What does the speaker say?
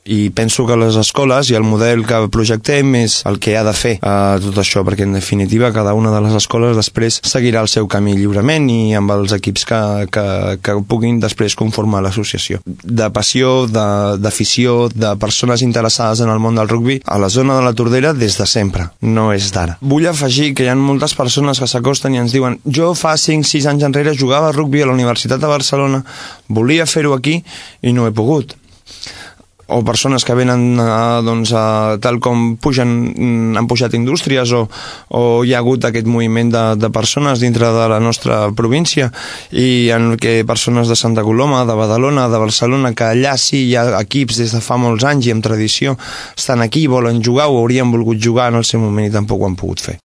I penso que les escoles i el model que projectem és el que ha de fer tot això, perquè en definitiva cada una de les escoles després seguirà el seu camí lliurement i amb els equips que puguin després conformar l'associació. De passió, d'afició, de persones interessades en el món del rugbi, a la zona de la Tordera des de sempre, no és d'ara. Vull afegir que hi ha moltes persones que s'acosten i ens diuen: jo fa 5-6 anys enrere jugava a rugbi a la Universitat de Barcelona, volia fer-ho aquí i no he pogut. O persones que venen tal com han pujat indústries o hi ha hagut aquest moviment de persones dintre de la nostra província i en què persones de Santa Coloma, de Badalona, de Barcelona, que allà sí hi ha equips des de fa molts anys i amb tradició, estan aquí, volen jugar o haurien volgut jugar en el seu moment i tampoc ho han pogut fer.